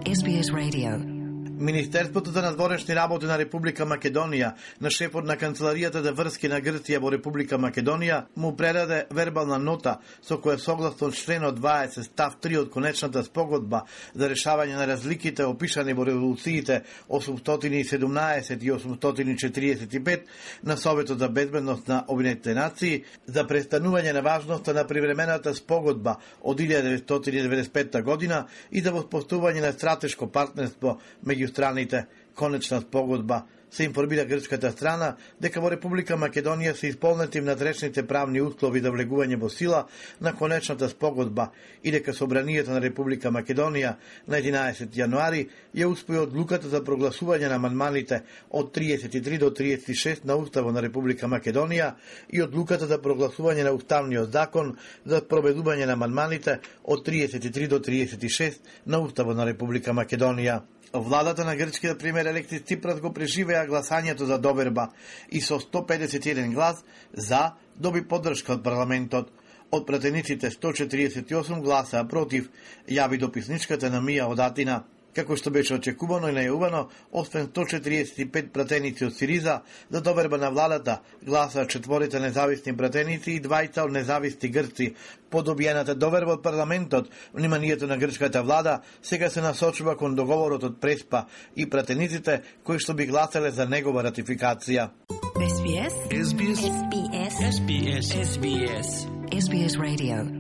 SBS Radio. Министерството за надворешни работи на Република Македонија на шефот на Канцеларијата за врски на Грција во Република Македонија му предаде вербална нота со која согласно членот 20 став 3 од конечната спогодба за решавање на разликите опишани во резолуциите 817 и 845 на Советот за безбедност на Обединетите нации за престанување на важноста на привремената спогодба од 1995 година и за воспоставување на стратешко партнерство меѓу страните. Конечна спогодба се информира грчката страна дека во Република Македонија се исполнети внатрешните правни услови за влегување во сила на конечната спогодба и дека Собранието на Република Македонија на 11 јануари ја успеа одлуката за прогласување на амандманите од 33 до 36 на Уставот на Република Македонија и одлуката за прогласување на Уставниот закон за проведување на амандманите од 33 до 36 на Уставот на Република Македонија. Владата на грчкиот премиер Алексис Ципрас го преживеа гласањето за доверба и со 151 глас за доби поддршка од парламентот. Од пратениците 148 гласа против, јави дописничката на Мија од Атина. Како што беше очекувано и најавувано, освен 145 пратеници од Сириза, за доверба на владата гласаа 4 независни пратеници и 2 од независни грци. По добиената доверба од парламентот, вниманието на грчката влада сега се насочува кон договорот од Преспа и пратениците кои што би гласале за негова ратификација. SBS Radio.